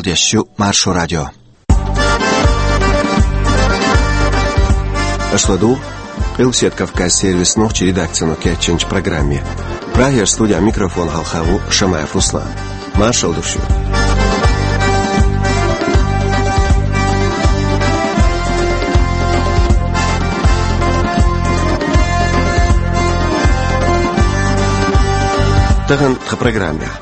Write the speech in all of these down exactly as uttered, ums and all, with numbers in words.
Дешчу Маршо радио. Аша ладу Къилбаседа Кавказ сервисан нохчийн редакцино кечйинчу программе. Прагера студехь микрофон хьалха ву Шамаев Руслан. Маршалла ду шуьга. Тахана тхан программехь.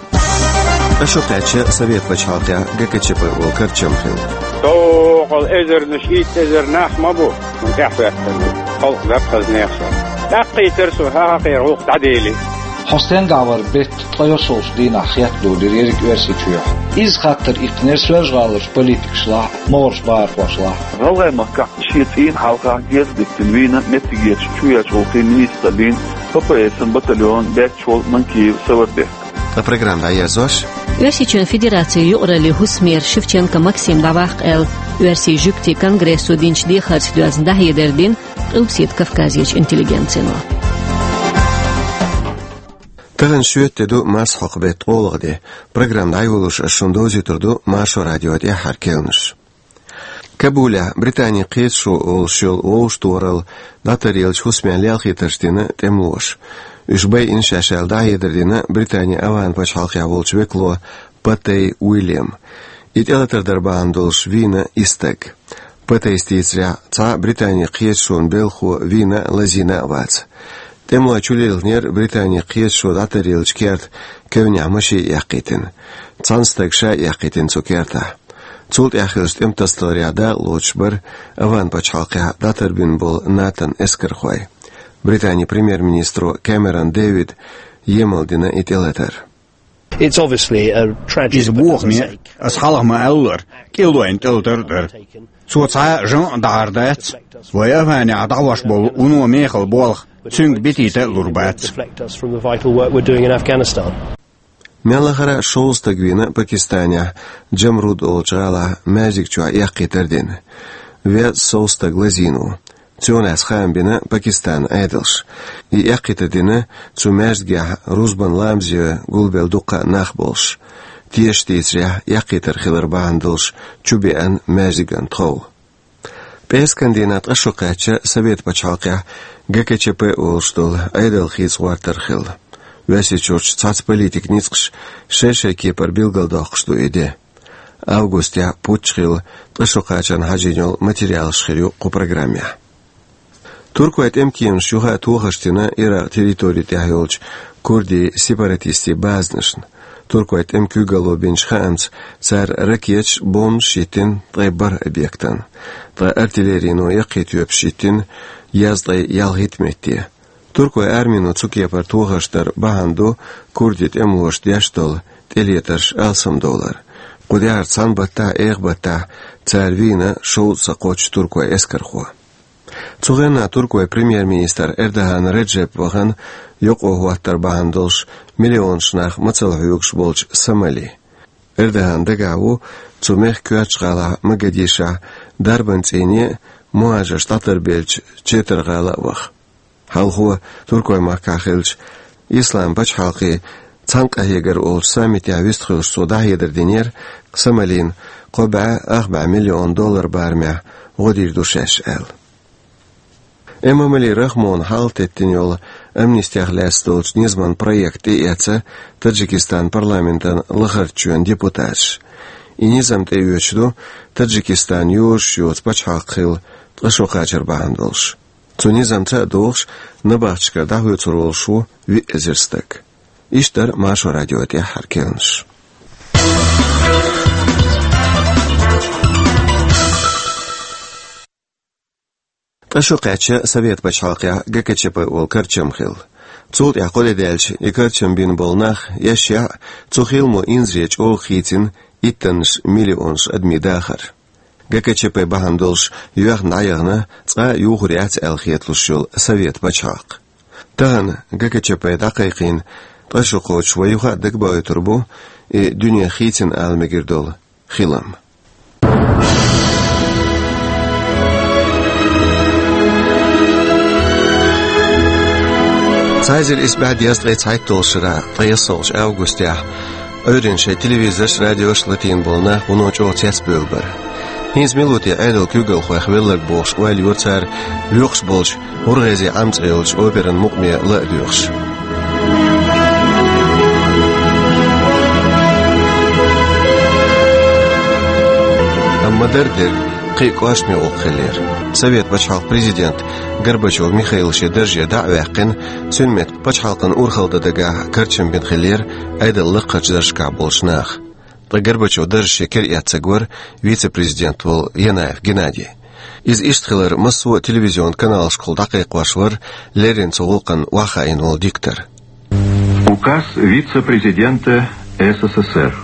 Ткъа шо кхаьчна Совет пачхьалкхехь ГКЧП олу карчам хилла. Доккхал эзарнаш, итт эзар нах ма бу, хӀун тӀехь хӀоьттина халкъ даккхазнех со. ТӀаккхийтар со, хӀан хьакхера гӀуллакх дӀадели. Хьо стенгахь вара беттан ткъе йоьсналгӀачу дийнахь хетта долийра ерриг Оьрсийчохь? Иза хаттар иккхинера Соьлжа-ГӀаларчу политикашлахь, могӀарерчу бахархошлахь. ГӀалгӀайн махкахь шен цӀийнан хьалха герз диттина вийна меттигерчу чоьхьарчу гӀуллакхийн министр бина ППС-ан батальонан баьчча волу Манкиев Саварбек. Ткъа программа дӀаерзош. Оьрсийчоьнан Федерацин юкъараллин хӀусамера Шевченко Максим дӀаваккха аьлла, Оьрсийн жуьгтийн конгрессо динчу дехарца доьзна дӀахьедар дина Къилбаседа Кавказерчу интеллигенцино. Тахана шоьтан де ду, марсхьокху беттан ткъолгӀа де. Программа дӀайолош ас шуна довзуьйтур ду Маршо радион тӀаьххьара керланаш. Кабулехь Британин кхеташо олуш йолу вовшахтохаралла дӀатаръеллачу хӀусамехь лелхийтарш дина тӀемалоша. Уьш байина шаьш аьлла дӀахьедар дина Британин АвгӀан пачхьалкхехь волчу векало Патей Уильяма. И тӀелатар дар бахьана долуш вийна исс стаг. Патейс дийцарехь, цхьа Британин кхеташонан белхахо вийна а, лазийна а вац. ТӀемалой чулилхинера Британин кхеташо дӀатаръеллачу керта кевнехь машен эккхийтина. Цхьана стага ша эккхийтина цу кертахь. Цул тӀаьхьа хиллачу тӀематасадаларехь дакъалоцуш бара АвгӀан пачхьалкхехь дӀатарбина болу НАТО-н эскархой. Британин премьер-министро Кэмерон Дэвида емал дина и тӀелатар. It's obviously a tragedy. Иза бохаме, аса хьалха ма-аллара, кӀелойн тӀелатар а дара. Цо цхьа а жамӀ а дахьар дац, вай АвгӀанехь дӀахьош болу вуно мехала болх цуьнга битийта а лур бац. Deflect us from the vital work we're doing in Afghanistan. Мел лахара а шовзткъа стаг вийна Пакистанехь Джамруд олучу гӀалахь маьждиг чохь эккхийтар дина. Везткъа сов стаг лазийна ву. Цунах хаам бина Пакистанан Ӏедалша. И эккхийтар дина цу маьждигехь рузбан ламазе гулбелла дуккха а нах болуш. Тешаша дийцарехь, эккхийтар хилар бахьана долуш чу беана маьждиган тхов. ПӀераскан дийнахь ткъа шо кхаьчча Совет пачхьалкхехь ГКЧП олуш долу Ӏедал хийца гӀортар хилла. Оьрсийчуьрчу цхьацца политикийн ницкъаша шай-шайн кепара билгалдоккхуш ду и де. Августехь путч хилла ткъа шо кхачарна хьажийна йолу материалаш хир ю кху программехь. Туркойн тӀемакеманаша юха а тохарш дина Иракъ территори тӀехь йолчу курдийн сепаратистийн базанашна. Туркойн тӀеман куьйгалло бинчу хаамца, цара ракеташ а, бомбанаш а йиттина ткъе бархӀ объектана. Ткъа артиллерино яккхий тоьпаш йиттина езткъе ялхитта метте. Туркойн армино цу кепара тохарш дар бахьана ду курдийн тӀемалоша деш долу тӀелетарш алсамдовлар. Кху тӀаьхьара цхьана баттахь а, эха баттахь а цара вийна шовзткъа сан кхоччуш туркойн эскархо. Цу хенахь туркойн премьер-министр Эрдоган Реджеп вахана юкъахӀоттар бахьана долуш миллионаш нах мацалла хьоьгуш болчу Сомали. Эрдоган дагахь ву цу мехкан коьртачу гӀалахь Могадишохь дарбан цӀийне а, мухӀажарш дӀатарбеллачу Четар-гӀала а ваха. Хьалхо Туркойн махкахь хиллачу Ислам пачхьалкхийн цхьаьнакъахьегар олучу саммитехь вистхуьлуш цо дӀахьедар динера, Сомалина кхо бӀе ах бӀе миллион доллар барамехь гӀо дийр ду шаьш аьлла. Эмомали Рахмона хьалатеттина йолу амнистех лаьцна долчу низаман проект тӀеэцна Таджикистан парламентан лахарчу чоьнан депутаташа. И низам тӀеоьцуш ду Таджикистан йозуш йоцу пачхьалкх хилла ткъа шо кхачар бахьана долуш. Цу низамца а догӀуш, набахтешкара дӀахоьцур волуш ву виъ эзар стаг. Иштта дара Маршо радион тӀаьххьара керланаш. Ткъа шо кхаьчча Совет пачхьалкхехь ГКЧП олу карчам хилла. Цул тӀаьхьа кхо де даьлча и карчам бина болу нах, эшшехь а, цу хиламо инзаре чӀогӀа хийцина иттаннаш миллионаш адамийн дахар. ГКЧП бахьана долуш йоьхна дӀаяхана, цкъа а юхур яц аьлла хеталуш йолу Совет пачхьалкх. Тахана ГКЧП дӀакхайкхийна ткъа шо кхочуш вай юха а дагабоуьйтур бу и дуьне хийцина ала мегар долу хилам. Цхьа эзар исс бӀе дезткъе цхьайтталгӀачу шарахь, ткъе ялхалгӀачу августехь, Ӏуьйранна шайн телевизораш, радиош латийна болу нах вуно чӀогӀа цецбевлла бара. ХӀинца мила ву те Ӏедалан куьйгалхойх велларг бохуш ойла йора цара, воькъуш болчу ГӀургӀезе Ӏам цӀе йолчу операн мукъаме ла а доьхуш. Амма дара дерг кхин а кӀоштаме гӀуллакх хиллера. Совет пачхьалкхан президент Горбачев Михаил шен дарже дӀа а ваьккхина, цуьнан метта пачхьалкхана урхалла дан дагахь карчам бина хиллера Ӏедалан лакхарчу даржашкахь болчу наха. Ткъа Горбачевн дарж шен кара эцнарг вара вице-президент волу Янаев Геннадий. Иза иштта хилар массо а телевизионан каналашкахула дӀакхайкхош вара леррина цу гӀуллакхна охьахаийна волу диктор. Указ вице-президента С С С Р.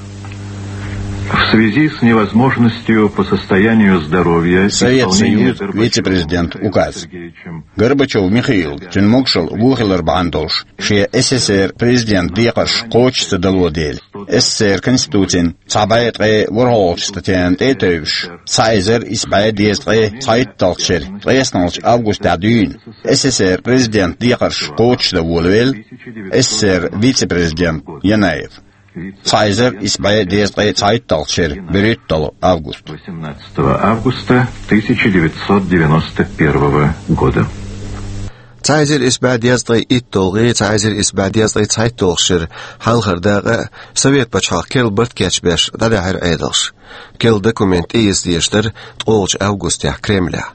В связи с невозможностью по состоянию здоровья Совет исполнения Союз Горбачёвым вице-президент Михаилом указ. Сергеевичем Горбачёв Михаил, цуьнан могушалла вон хилар бахьана долуш, шен С С С Р президент декхарш кхочуш ца дало дела, С С С Р Конституцин цхьа бӀе ткъе ворхӀалгӀачу статьяна тӀе а тевжаш, цхьа эзар исс бӀе дезткъе цхьайтталгӀачу шеран ткъеснолгӀачу августехь дуьйна С С С Р президент декхарш кхочушдан волавелла С С С Р вице-президент Янаев. Цхьа эзар исс бӀе дезткъе цхьайтталгӀачу шеран берхӀитталгӀа август. Восемнадцатого августа тысяча девятьсот девяносто первого года. Цхьа эзар исс бӀе дезткъе итталгӀий, цхьа эзар исс бӀе дезткъе цхьайтталгӀачу шеран хьалхара дакъа а Совет пачхьалкхан керла барт кечбеш дӀадаьхьира Ӏедалша. Керла документ тӀеэца дезаш дара ткъолгӀачу августехь Кремлехь.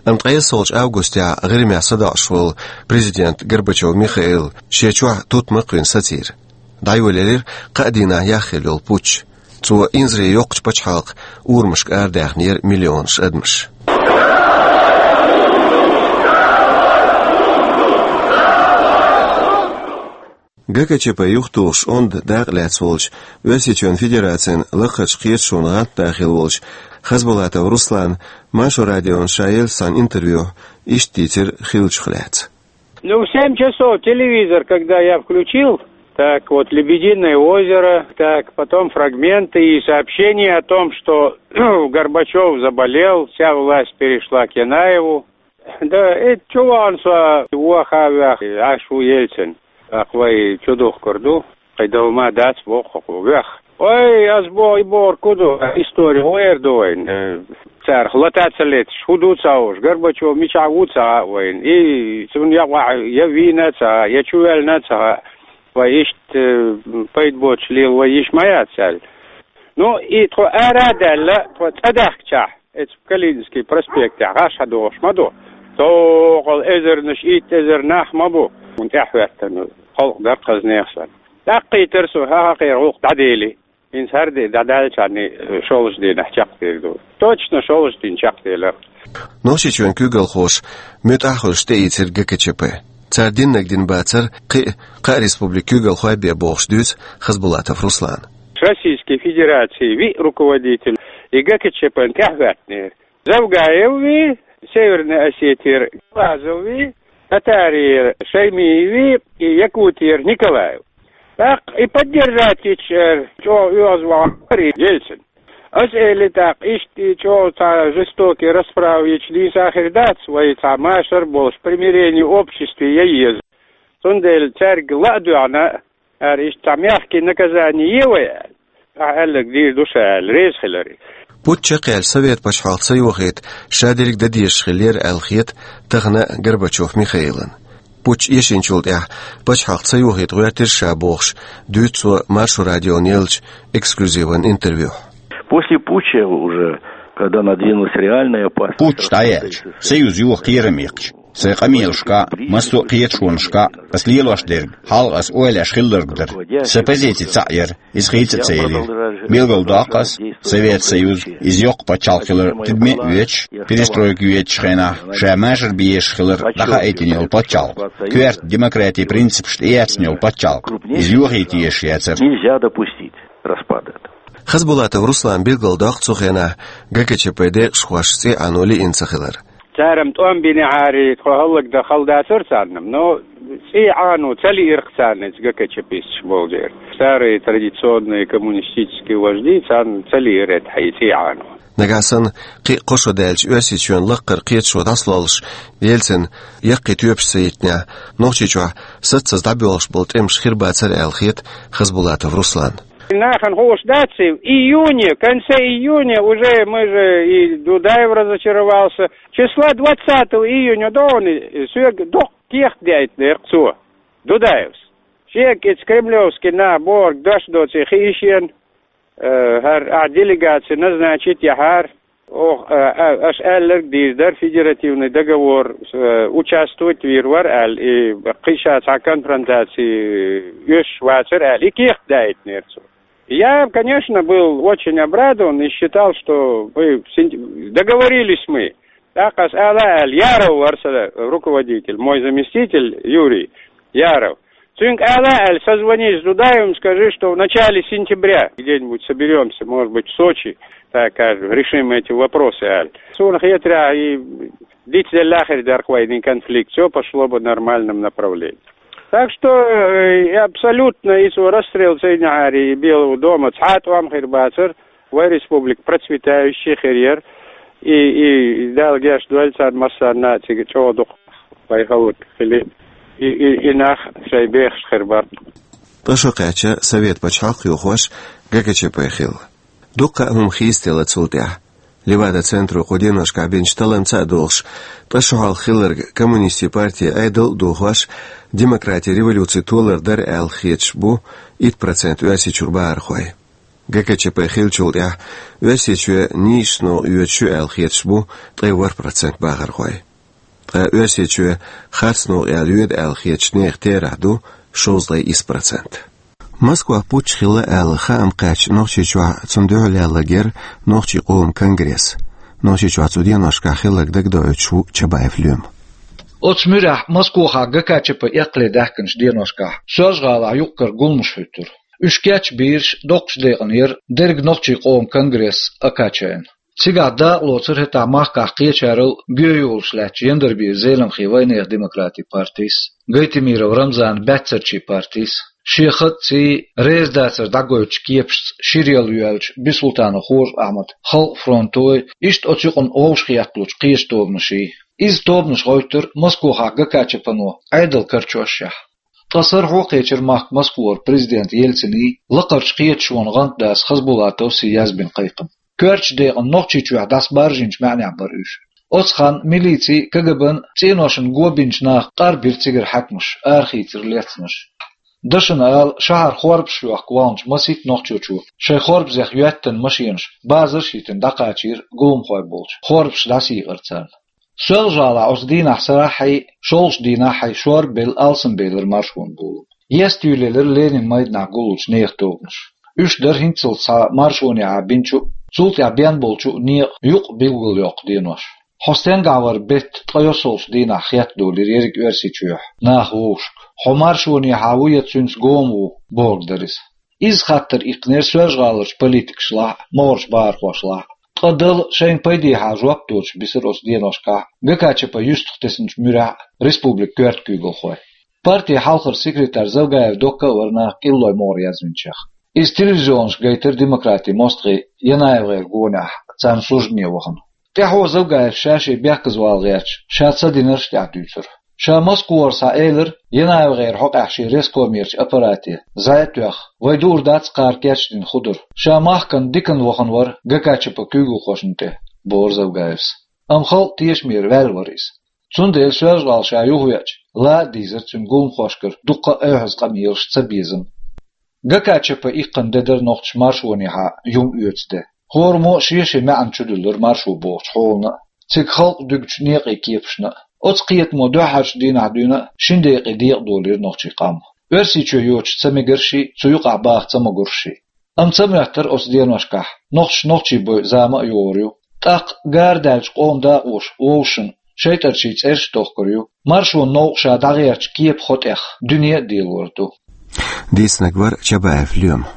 Амма ткъессалгӀачу августехь ГӀирмехь садоӀуш волу президент Горбачёв Михаил шен чохь тутма кхуьйна сацийра. ДӀайолаелира кхаа дийнахь яхъелла йолу путч. Цо инзаре йоккхачу пачхьалкхан урамашка арадаьхнера миллионаш адамаш. Г К Ч П юхатухуш онда дакъа лаьцна волчу Оьрсийчоьнан Федерацин лакхарчу кхеташонан гӀантда хилла волчу Хасбулатов Руслана Маршо радиона ша еллачу цхьана интервьюхь иштта дийцира хиллачух лаьцна. Ну, в семь часов телевизор, когда я включил, так вот, «Лебединое озеро», так, потом фрагменты и сообщение о том, что Горбачёв заболел, вся власть перешла к Янаеву. Да, и чу вахана со, ваха а ваьхна, Ӏаш ву Ельцин. ТӀаккха вай чу духкур ду, кхин дала ма дац, боху хӀокхо, вех. Ой, ас боху, и бохург хӀун ду, истори гӀера ду вайн. Э, царах лата ца леташ, хӀун ду ца хууш, Горбачёв мичахь ву ца хаьа вайна. И цунна я охьа, я вийна ца хаьа, я чу ваьллина ца хаьа. Вай иштта, э, пайда боцуш лела вай йиш ма яц аьлла. Ну, и тхо ара а даьлла, тхо цӀа даьхкичахь, эцу Калининский проспектехь гӀаш хьадогӀуш ма ду. Цхьа эзарнаш, итт эзар нах ма бу. Хьуна тӀаьхьахӀоьттина халкъ дара кхазнех санна. ТӀаккха кхийтира со, хьан хьакхера гӀуллакх дӀадели. ХӀинца хӀара де дӀадаьллачарний шолгӀачу дийнахь чекхдийр ду. Точно шолгӀачу дийнахь чекхделира. Нохчийчоьнан куьйгалхоша муьтӀахь а хуьлуш тӀеийцира Г К Ч П. Цара диннарг дина бацара кхин а кхаа республикан куьйгалхой бен бохуш дуьйцу Хасбулатов Руслана. Российской Федерации виъ руководитель и Г К Ч П-н тӀаьхьахӀоьттинера. Завгаев вий, Северной Осетиера Глазов вий, Татариера Шаймиев вий и Якутиера Николаев. ТӀаккха и поддержать йича, э, чӀогӀа оьгӀазвахар Ельцин. Ас элира тӀаккха, иштта и чӀогӀа цхьа жестокий расправа йича нийса хир дац, вай цхьа машар а болуш, примирение обществе ян еза. Цундела цаьрга ла а доьгӀна, ара иштта цхьа мягкий наказание е вай аьлла. Ахьа аьлларг дийр ду ша аьлла, реза хилар и. Путч чекхъяьлча, Совет пачхьалкх ца йохийта ша дерг дан дезаш хиллера аьлла хета тахана Горбачёв Михаилан. Путч эшначул тӀаьхьа пачхьалкх ца йохийта гӀоьртира ша бохуш, дуьйцу цо Маршо радионе еллачу эксклюзиван интервьюхь. После путча уже, когда надвинулась реальная опасность Путч дӀаяьлча, Союз йоха кхерам яьккхича, сайн къамелашка а, массо а кхеташонашка а ас лелош дерг хьалха ас ойлаш хилларг дара. Сан позици цхьаъ яра, иза хийца а ца елира. Билгалдоккху ас, Совет Союз, иза йоккха пачхьалкх хилар тидаме а оьцуш, перестройка йоьдучу хенахь ша машар бен езаш хилар дӀахаийтина йолу пачхьалкх, коьрта демократин принципаш тӀеэцна йолу пачхьалкх, иза йохийта езаш яцара. Нельзя допустить распада этого. Хасбулатов Руслана билгалдоккху цу хенахь Г К Ч П декъашхоша цӀий Ӏано лиъна ца хилар. Цара-м тӀом бинехьара, тхо хӀаллакдан хала дацара царна, но цӀий Ӏано ца лиира-кх царна иза ГКЧПисташ болу дела. Старые традиционные коммунистические вожди, царна ца лиира тӀехь и цӀий Ӏано. Нагахь санна кхин а кхо шо даьлча, Оьрсийчоьнан лакхара кхеташо дӀасалоллуш, Ельцина яккхий тоьпаш ца йитинехь, Нохчийчохь саццаза дӀабоьлхуш болу тӀемаш хир бацара аьлла хета Хасбулатов Русланна. Нахана хууш дац, в июне, в конце июня уже мы же, и Дудаев разочаровался. Числа двадцатого июня догӀана соьга доккха кехат даийтинера цо, Дудаевс. Шега иза кремлевский нах бохург дош доций хи ишен, э, хӀара ахь делегаци назначить яхьара. Ох, э, э, аша аьлларг дийр дара, федеративный договор, э, участвовать вийр вара аьлла, и кхин ша цхьа конфронтаци оьшуш вацара аьлла, и кехат даийтинера цо. Я, конечно, был очень обрадован и считал, что мы син-, договорились мы. ТӀаккха аса ала аьлла, Яров вара сан руководитель, мой заместитель Юрий Яров. Цуьнга ала аьлла, созвонись с Дудаевым, скажи, что в начале сентября где-нибудь соберемся, может быть, в Сочи, так, э, решим эти вопросы, аьлла. Суна хетарехь, и дицделла хир дара вайна конфликт, всё пошло бы в нормальном направлении. Так что, э, и абсолютно и цо расстрел Цейнихьари и Белого дома цхьа а тӀом хир бацара, вай республика процветающая хир яра, и, и Дала гечдойла царна массарна а цига чӀогӀа дукха вай хӀаллак хили, и, и, и нах шайн бехаш хир бара. Ткъа шо кхаьчна Совет пачхьалкх йохош ГКЧП хилла. Дуккха а хӀума хийцаделла цул тӀаьхьа. Левада-центро кху деношкахь бинчу талламца а догӀуш, ткъа шо хьалха хилларг коммунистийн парти Ӏедал а дохош, демократин революци толар дара аьлла хеташ бу итт процент Оьрсийчуьра бахархой. ГКЧП хиллачул тӀаьхьа Оьрсийчоь нийсачу новкъа йоьдуш ю аьлла хеташ бу ткъе ворхӀ процент бахархой. Ткъа Оьрсийчоь харц новкъа яла йоьду аьлла хетачу нехан терахь ду шовзткъе исс процент. Москвахь путч хилла аьлла хаам кхаьчна Нохчийчохь, цунна дуьхьал яьлла гира нохчийн къоман конгресс. Нохчийчохь цу деношкахь хилларг дагадоуьйтуш ву Чабаев Лоьма. Оцу муьрехь Москвахь ГКЧП эккхале даьхкинчу деношкахь Соьлжа-ГӀалахь юкъ-кара гуламаш хӀуьттура. Уьш кечбийраш доккхачу декъана яра дерриг нохчийн къоман конгресс Акачайн. Цигахь дакъалоцура хӀетахь махкахь кхечарал гоьйолуш лаьттачу Яндарбиев Зеламхин вайнехан демократин партис, Гайтемиров Рамзанан баьццарчийн партис, шен хатаций, резадацар дӀагойтучу кепашца шира яла йоьллачу Бисултанов Хоржа-Ахьмадан Халкъан фронтой, иштта оцу юкъана вовшахӀоьтталучу кхечу тобанаший. Иза тобанаш гӀоьттира Москвахь ГКЧП-но Ӏедал карчошшехь. Ткъа сарахьо а кхечира махка Москвара президент Ельциний, лакхарчу кхеташонан гӀантдас Хасбулатовс язбина кхайкхам. Коьртачу декъана Нохчийчохь дӀасабаржийначу маьӀнехь бара уьш. Оцу ханна милицин, КГБ-н цӀеношна го бинчу наха къарбира цигара хьаькамаш, арахийцира лецнаш. Дашна ала, шахьар хорбаш йохка вахначу масийтта нохчочо шайн хорбазех йоьттина машенаш базарш а йитина дӀакхачийра гуламхой болчу, хорбаш дӀасийкъира царна. Соьлжа-ГӀалахь оцу дийнахь сарахьий, шолгӀачу дийнахьий шорбелла алсамбелира маршонан гулам. Естаюьйлаелира Ленинан майданахь гуллучу нехан тобанаш. Уьш дара хӀинццалц схьа маршонехьа бинчу а, цул тӀаьхьа бен болчу а некъан юкъ билгалйоккху денош. «Хьо стенгахь вара бетта ткъе йоьссалгӀачу дийнахь» хеттадолийра ерриг Оьрсийчохь наха вовшашка. «Хьо маршонехьа ву я цуьнца гома ву?» бохург дара иза. Иза хаттар иккхинера Соьлжа-ГӀаларчу политикашлахь а, могӀарерчу бахархошлахь а. Ткъа Дала шайна пайдехьа жоп доцуш бисира оцу деношкахь ГКЧП юьстах тесначу муьрехь а республикан коьрта куьйгалхой. Партин хьалхара секретарь Завгаев Докка а вара наха кӀиллой могӀаре язвинчех. Иза телевизионашка гайтира демократин мостагӀийн ЯнаевгӀеран гонехь царна суждане вахана. ТӀаьхьо Завгаевс ша-шен бехказавала гӀерташ, ша ца динарш а тӀаьхьа дуьйцура. Ша Москвара схьаэлира, ЯнаевгӀеран хьокъехь шен рескомерчу аппарате зӀе а тоьхна, вай дуур дац кхара кечдина хӀун дара. Ша махкана диканна вахана вара ГКЧП куьйгалхошна тӀе, бохура Завгаевс. Амма халкъан тешамера ваьлла вара иза. Цундела Соьлжа-ГӀала ша юхавеача, ла а дийзира цуьнан гуламхошкара дуккха а эвхьаза къамелаш, цабезам. ГКЧП иккхина де дара нохчаша маршонехьа юм оьцу де. ХӀораммо а шен-шен маьӀна чу дуьллура маршо бохучу хьолана а, цига халкъ дуьгучу некъийн кепашна а. Оцу кхетамо дуьххьарчу дийнахь дуьйна а, шина декъе декъадолийра нохчийн къам. Оьрсийчоь йоцуш ца мегарший, цу юкъахь баха ца могуршший. Амма ца моьттура оцу деношкахь, нохчаша нохчий бойу зама а йогӀур ю. ТӀаккха гара даьллачу къоман дакъоша вовшашна шайтӀарчийн цӀераш а тохкур ю. Маршонан новкъа ша дӀагӀертачу кепан хотӀех дуьне а делор ду. Дийцинарг вара Чабаев Лоьма.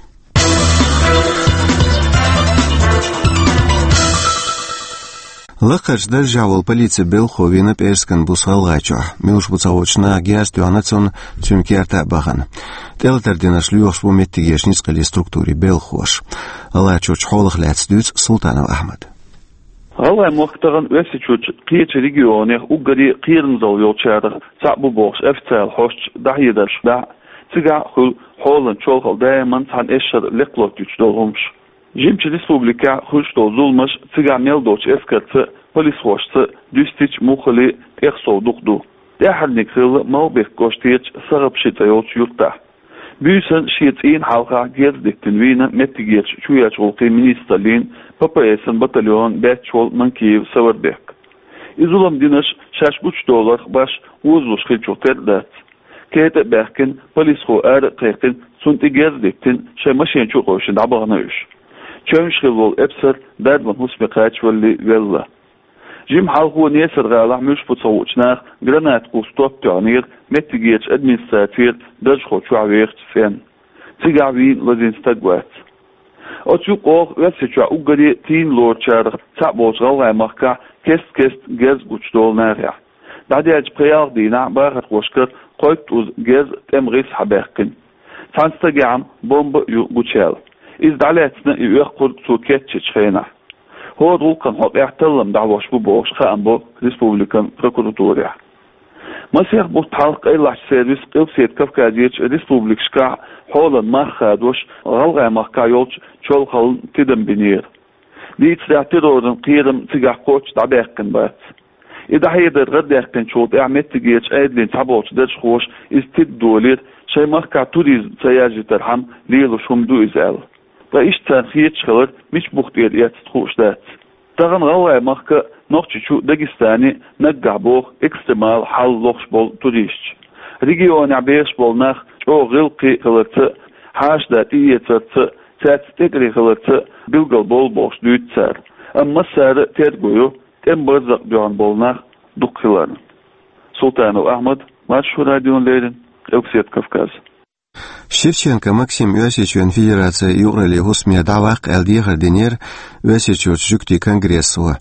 Лакхарчу даржехь волу полицин белхахо вийна ПӀерскан буса ГӀалгӀайчохь. Муьлш бу ца хуучу наха герз тоьхна цунна, цуьнан керта а бахана. ТӀелатар динарш лоьхуш бу меттигерчу ницкъаллин структурийн белхахоша. ГӀалгӀайчуьрчу хьолах лаьцна дуьйцу Султанов Ахьмада. ГӀалгӀай мохк тахана Оьрсийчуьрчу кхечу регионех уггаре кхерамзалла йолчарах цхьаъ бу бохуш официалан хьосташа дӀахьедарш дахь а, цигахь а хуьлу Хьолан чолхал даиман цхьана эшшара лекха лоттуьйтуш долу хӀумаш. Жимачу республикехь хуьлуш долу зуламаш, цигахь мел долчу эскарца а, полисхошца а дуьстича а, муххале а тӀехсов дукха ду. ТӀаьххьарниг хилла Малхбек кӀоштарчу Сагъапши цӀе йолчу юьртахь. Буьйсанна шен цӀийнан хьалхахь герз диттина вийна меттигерчу чоьхьарчу гӀуллакхийн министраллин, П П С-ан батальонан баьчча волу Манкиев Саварбек. И зулам динарш шаьш гучудоларх башха озалуш хиллачух тера дац. Кета а баьхкина, полисхо ара а кхайкхина, цунна тӀе герз диттина, шайн машен чу а къевшина дӀабахана уьш. Чевнаш хилла волу эпсар дарбан хӀусаме кхачавалале велла. Жимма хьалхо Несар-гӀалахь муьлш бу ца хуучу наха гранат кхуссу топ тоьхнера меттигерчу администрацера даржахо чохь вехачу цӀенна. Цигахь вийна лазийна стаг вац. Оцу юкъахь Оьрсийчохь уггаре а тийна лоручарах цхьаъ болчу ГӀалгӀай-махкахь кест-кеста герз гучудолу нахехь. ДӀадаьллачу пхи-ялх дийнахь бахархошкара кхойттуза герз тӀеман гӀиса схьабаьккхина. Цхьана стагехь-м бомба а ю гучуяьлла. Иза дӀалаьцна и оьккхура цо кечйинчу хенахь. ХӀора гӀуллакхан хьокъехь таллам дӀахьош бу бохуш хаам бо республикан прокуратурехь. Масех бутт хьалха къайлахчу сервисан Къилбаседа Кавказерчу республикашкахь хьолан мах хадош ГӀалгӀай-махкахь йолчу чолхална тидам бинера. Дийцарехь, терроран кхерам цигахь кхоччуш дӀабаьккхина бац. И дӀахьедар гӀардаьккхинчул тӀаьхьа меттигерчу Ӏедалан цхьаболчу даржхоша иза тидам долийра, шайн махкахь туризм ца яржийтархьама лелош хӀума ду иза аьлла. Ткъа иштта царна хеташ хилар мича бух тӀера эцна хууш дац. Тахана ГӀалгӀай-махка а, Нохчийчу а, Дагестане а наггахь боху экстремал хьал лохуш болу туристаш. Регионехь бехаш болу нах чӀогӀа гӀиллакхе хиларца а, хьаша-да тӀеэцарца а, цаьрца тӀекӀеле хиларца а билгал болу бохуш дуьйцу цара. Амма массара а терго йо тӀеман барзакъ дуьхьал болу нах дукха хиларна. Султанов Ахьмад, Маршо радиона леррина, Къилбаседа Кавказ. Шевченко Максим Оьрсийчоьнан Федерацин юкъараллин хӀусаме дӀаваккха аьлла дехар динера Оьрсийчуьрчу жуьгтийн конгрессо.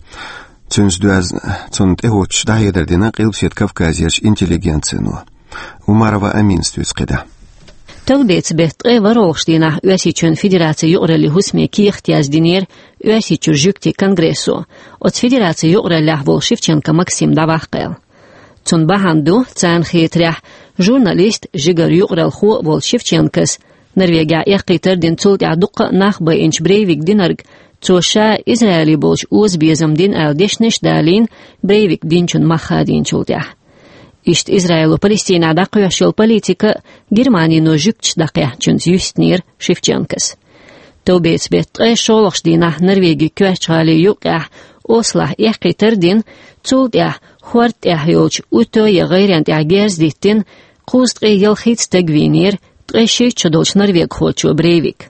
Цуьнца доьзна, цунна тӀехӀуттуш дӀахьедар дина Къилбаседа Кавказерчу интеллигенцино. Умарова Аминас дуьйцу кхидӀа. Товбеца беттан ткъе ворхӀалгӀачу дийнахь Оьрсийчоьнан Федерацин юкъараллин хӀусаме кехат яздинера Оьрсийчуьра жуьгтийн конгрессо, оцу федерацин юкъараллехь волу Шевченко Максим дӀаваккха аьлла. Цунна бахьана ду, царна хетарехь, журналист, жигара юкъараллехь а волчу Шевченкос Норвегехь эккхийтар а дина, цул тӀаьхьа дуккха а нах байинчу Брейвик динарг, цо ша Израиле болчу озабезам дина аьлла дешнаш а далийна, Брейвик динчун мах хадийначул тӀаьхьа. Иштта Израило Палестинехь дӀакхоьхьуш йолу политика а, Германино жуьгташ дӀакхехьначуьнца юьстинера Шевченкос. Товбеца беттан ткъе шолгӀачу дийнахь Норвегин коьртачу гӀалин юккъехь Ослохь эккхийтар а дина, цул тӀаьхьа хӀорда тӀехь йолчу Утё ян гӀайрен тӀехь герз диттина, кхузткъе ялхитта стаг вийнера ткъе шийтта шо долчу норвегхочо Брейвика.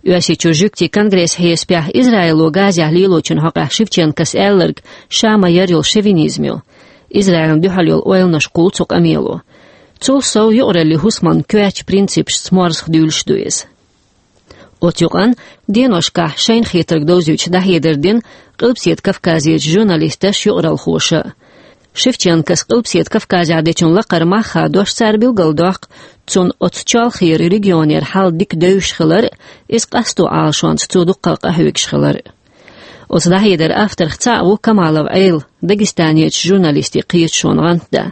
Оьрсийчуьра жуьгтийн конгрессан хьесапехь, Израило Газехь лелочун хьокъехь Шевченкос аьлларг ша ма-ярра йолу шовинизм ю. Израилна дуьхьал йолу ойланаш кхуллу цу къамело. Цул сов, юкъараллин хӀусаман коьртачу принципашца морзах дуьйлуш ду иза. Оцу юкъанна деношкахь шайна хетарг довзуьйтуш дӀахьедар дина Къилбаседа Кавказерчу журналисташа, юкъараллхоша а. Шевченкос Къилбаседа Кавказехь дечун лакхара мах хадош, цара билгалдоккху, цунна оцу чолхера регионера хьал дика девзаш хилар а, иза къасто Ӏалашонца цо дуккха къахьоьгуш хилар а. Оцу дӀахьедаран авторех цхьаъ ву Камалов Ӏела, Дагестанерчу журналистийн кхеташонан гӀантда.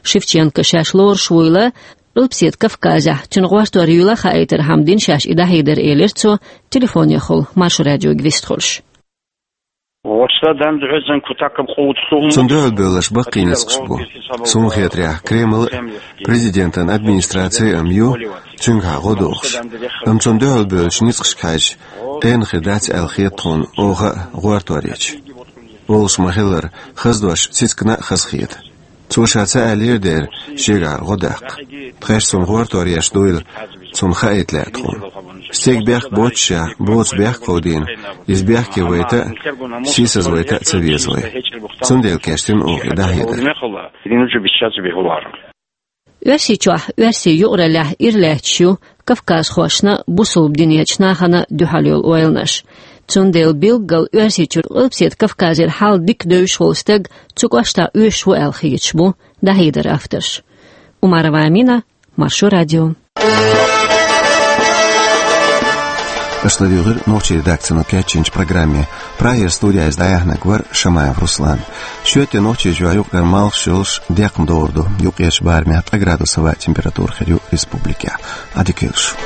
Шевченко шаьш лоруш вуйла, Къилбаседа Кавказехь цуьнан гӀортор юйла хаийтархьама дина шаьш и дӀахьедар, элира цо, телефонехула Маршо радиога вистхуьлуш. Цунна дуьхьал бевлларш баккхий ницкъаш бу. Суна хетарехь, Кремль а, президентан администраци а ю цуьнгахьа гӀо дохуш. Амма цунна дуьхьал бевллачу ницкъашка хьаьжча, тӀена хир дац аьлла хета тхуна оха а гӀортор еча. Олуш ма-хиллара, хаза дош цицигна а хазахета. Цо ша ца аьллера дера шегахьара гӀо даккха. Тхаьш цунна гӀортор еш дуйла, цунна хаийта лаьа тхуна. Стеган бехк боццушехь, боцу бехк а ховдийна, иза бехке вайта а, сийсазвайта а ца веза вай. Цундела кечдина оха и дӀахьедар. Оьрсийчохь, Оьрсийн юкъараллехь ира лаьтташ ю кавказхошна, бусулба динечу нахана дуьхьал йолу ойланаш. Цундела билггал Оьрсийчуьра Къилбаседа Кавказера хьал дика девзаш волу стаг цу кӀоштахь оьшуш ву аьлла хеташ бу дӀахьедаран авторш. Умарова Амина, Маршо радио. Аша ладугӀура нохчийн редакцино кечйинчу программе. Прагера студехь иза дӀаяьхьнарг вара Шамаев Руслан. Шоьтан нохчийн жоьжахатин юкъара малхаш йолуш декхна догӀур ду юккъерчу барамехь ткъа градус хӀаваан температура хир ю республикехь. Ӏадика йойла шун.